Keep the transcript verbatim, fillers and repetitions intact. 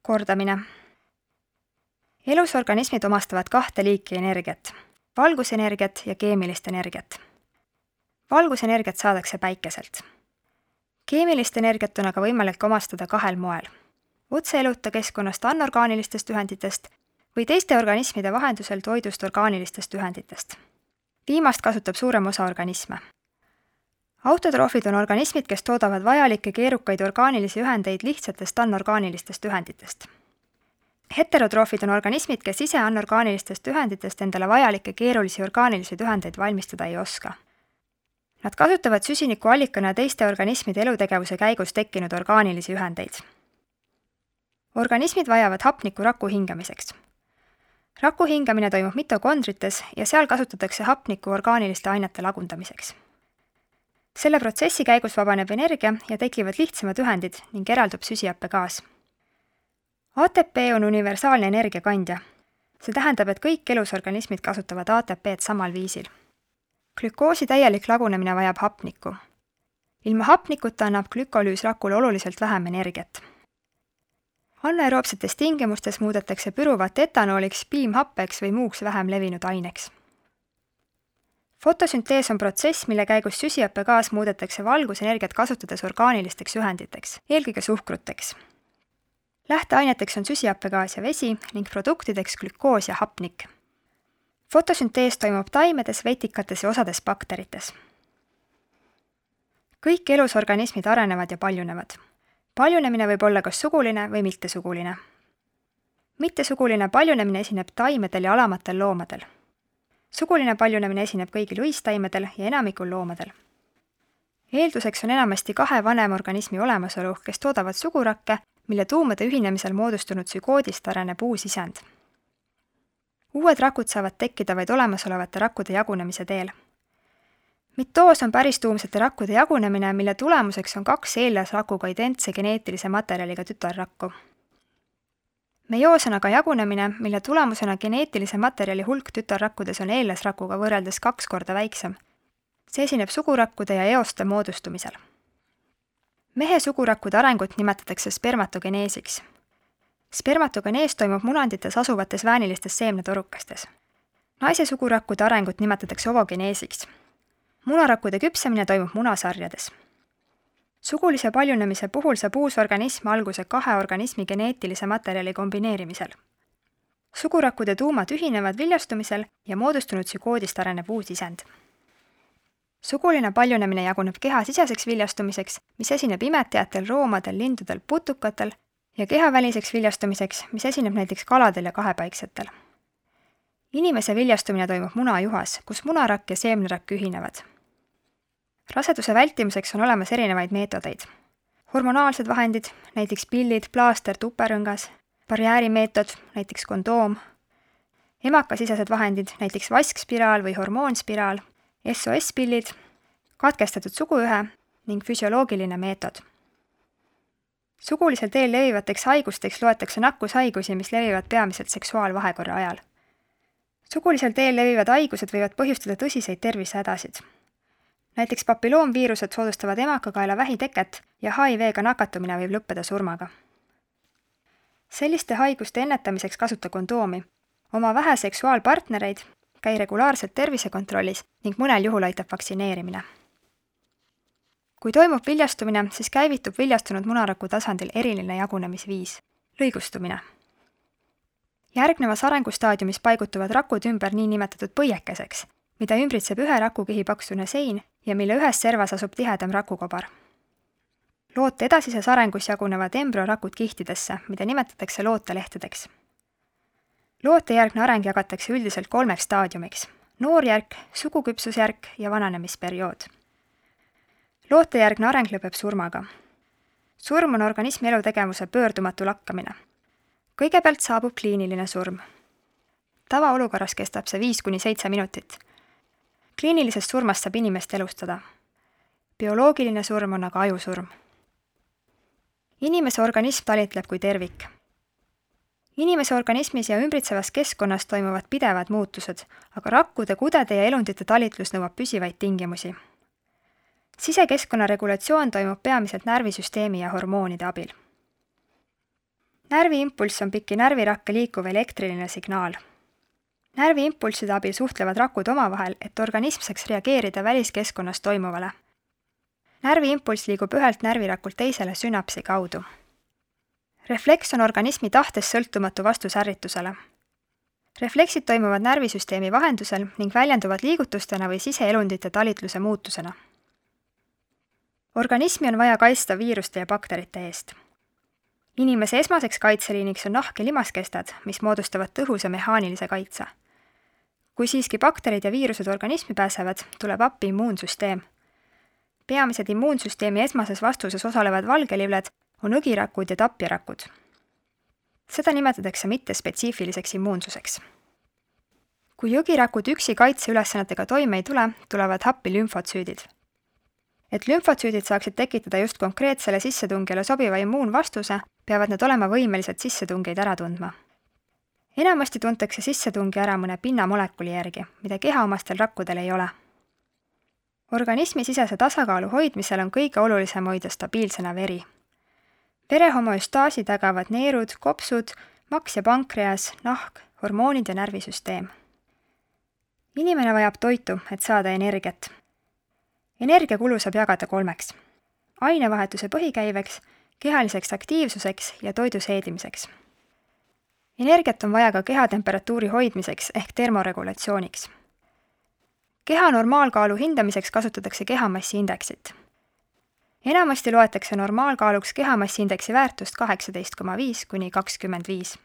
Kordamine. Elusorganismid omastavad kahte liiki energiat, valgusenergiat ja keemilist energiat. Valgusenergiat saadakse päikeselt. Keemilist energiat on aga võimalik omastada kahel moel. Otse eluta keskkonnast anorgaanilistest ühenditest või teiste organismide vahendusel toidust orgaanilistest ühenditest. Viimast kasutab suurem osa organisme. Autotroofid on organismid, kes toodavad vajalikke keerukaid orgaanilisi ühendeid lihtsatest anorgaanilistest ühenditest. Heterotroofid on organismid, kes ise anorgaanilistest ühenditest endale vajalikke keerulisi orgaanilisi ühendeid valmistada ei oska. Nad kasutavad süsiniku allikana teiste organismide elutegevuse käigus tekkinud orgaanilisi ühendeid. Organismid vajavad hapnikku raku hingamiseks. Raku hingamine toimub mitokondrites ja seal kasutatakse hapnikku orgaaniliste ainete lagundamiseks. Selle protsessi käigus vabaneb energia ja tekivad lihtsamad ühendid ning eraldub süsihappegaas. A T P on universaalne energiakandja. See tähendab, et kõik elusorganismid kasutavad A T P-d samal viisil. Glükoosi täielik lagunemine vajab hapnikku. Ilma hapnikuta annab glükolüüs rakule oluliselt vähem energiat. Anaeroobsetes tingimustes muudetakse püruvat etanooliks, piimhappeks või muuks vähem levinud aineks. Fotosüntees on protsess, mille käigus süsihappegaas muudetakse valgusenergiat kasutades orgaanilisteks ühenditeks, eelkõige suhkruteks. Lähteaineteks on süsihappegaas ja vesi ning produktideks glükoos ja hapnik. Fotosüntees toimub taimedes, vetikates ja osades bakterites. Kõik elusorganismid arenevad ja paljunevad. Paljunemine võib olla kas suguline või mittesuguline. Mittesuguline paljunemine esineb taimedel ja alamatel loomadel. Suguline paljunemine esineb kõigil uistaimedel ja enamikul loomadel. Eelduseks on enamasti kahe vanemorganismi olemasolu, kes toodavad sugurakke, mille tuumade ühinemisel moodustunud sügoodist areneb uus isend. Uued rakud saavad tekkida vaid olemasolevate rakkude jagunemise teel. Mitoos on päristuumsete rakkude jagunemine, mille tulemuseks on kaks eellasrakuga identse geneetilise materjaliga tütarrakku. Meioos on aga jagunemine, mille tulemusena geneetilise materjali hulk tütarrakkudes on eellasrakuga võrreldes kaks korda väiksem. See esineb sugurakkude ja eoste moodustumisel. Mehe sugurakkude arengut nimetatakse spermatogeneesiks. Spermatogenees toimub munandites asuvates väänilistes seemnetorukestes. Naise sugurakkude arengut nimetatakse ovogeneesiks. Munarakkude küpsemine toimub munasarjades. Sugulise paljunemise puhul saab uus organism alguse kahe organismi geneetilise materjali kombineerimisel. Sugurakkude tuumad ühinevad viljastumisel ja moodustunud sügoodist areneb uus isend. Suguline paljunemine jaguneb kehasiseseks viljastumiseks, mis esineb imetajatel, roomadel, lindudel, putukatel ja kehaväliseks viljastumiseks, mis esineb näiteks kaladel ja kahepaiksetel. Inimese viljastumine toimub munajuhas, kus munarakk ja seemnerakk ühinevad. Raseduse vältimiseks on olemas erinevaid meetodeid. Hormonaalsed vahendid, näiteks pillid, plaaster, tuperõngas, barjäärimeetod, näiteks kondoom, emakasisesed vahendid, näiteks vaskspiraal või hormoonspiraal, S O S-pillid, katkestatud suguühe ning füsioloogiline meetod. Sugulisel teel levivateks haigusteks loetakse nakkushaigusi, mis levivad peamiselt seksuaalvahekorra ajal. Sugulisel teel levivad haigused võivad põhjustada tõsiseid tervisehädasid. Näiteks papilloomviirused soodustavad emakakaela vähiteket ja H I V-ga nakatumine võib lõppeda surmaga. Selliste haiguste ennetamiseks kasuta kondoomi, oma vähe seksuaalpartnereid, käi regulaarselt tervisekontrollis ning mõnel juhul aitab vaktsineerimine. Kui toimub viljastumine, siis käivitub viljastunud munaraku tasandil eriline jagunemisviis, lõigustumine. Järgnevas arengustaadiumis paigutuvad rakud ümber nii nimetatud põiekeseks, mida ümbritseb ühe rakukihi paksune sein ja mille ühes servas asub tihedam rakukobar. Loote edasises arengus jagunevad embryorakud kihtidesse, mida nimetatakse lootelehtedeks. Lootejärgne areng jagatakse üldiselt kolmeks staadiumiks: noorjärk, suguküpsusjärk ja vananemisperiood. Lootejärgne areng lõpeb surmaga. Surm on organismi elutegevuse pöördumatu lakkamine. Kõigepealt saabub kliiniline surm. Tavaolukorras kestab see viis kuni seitse minutit. Kliinilisest surmast saab inimest elustada. Bioloogiline surm on aga ajusurm. Inimese organism talitleb kui tervik. Inimese organismis ja ümbritsevas keskkonnas toimuvad pidevad muutused, aga rakkude, kudede ja elundite talitlus nõuab püsivaid tingimusi. Sisekeskkonna regulatsioon toimub peamiselt närvisüsteemi ja hormoonide abil. närviimpulss on piki närvirakke liikuv elektriline signaal. Närviimpulsside abil suhtlevad rakud omavahel, et organism saaks reageerida väliskeskkonnas toimuvale. Närviimpulss liigub ühelt närvirakult teisele sünapsi kaudu. Refleks on organismi tahtest sõltumatu vastus ärritusele. Refleksid toimuvad närvisüsteemi vahendusel ning väljenduvad liigutustena või siseelundite talitluse muutusena. Organismi on vaja kaitsta viiruste ja bakterite eest. Inimese esmaseks kaitseliiniks on nahk ja limaskestad, mis moodustavad tõhusa mehaanilise kaitse. Kui siiski bakterid ja viirused organismi pääsevad, tuleb appi immuunsüsteem. Peamised immuunsüsteemi esmases vastuses osalevad valgelivled on õgirakud ja tapjarakud. Seda nimetatakse mittespetsiifiliseks immuunsuseks. Kui õgirakud üksi kaitseülesannetega toime ei tule, tulevad happi lümfotsüüdid. Et lümfotsüüdid saaksid tekitada just konkreetsele sissetungijale sobiva immuunvastuse, peavad need olema võimelised sissetungeid ära tundma. Enamasti tuntakse sissetungi ära mõne pinnamolekuli järgi, mida kehaomastel rakkudel ei ole. Organismi sisese tasakaalu hoidmisel on kõige olulisem hoida stabiilsena veri. Vere homöostaasi tagavad neerud, kopsud, maks ja pankreas, nahk, hormoonid ja närvisüsteem. Inimene vajab toitu, et saada energiat. Energiakulu saab jagada kolmeks. Ainevahetuse põhikäiveks, kehaliseks aktiivsuseks ja toidu seedimiseks. Energiat on vaja ka kehatemperatuuri hoidmiseks ehk termoregulatsiooniks. Keha normaalkaalu hindamiseks kasutatakse kehamassiindeksit. Enamasti loetakse normaalkaaluks kehamassiindeksi väärtust kaheksateist koma viis kuni kakskümmend viis.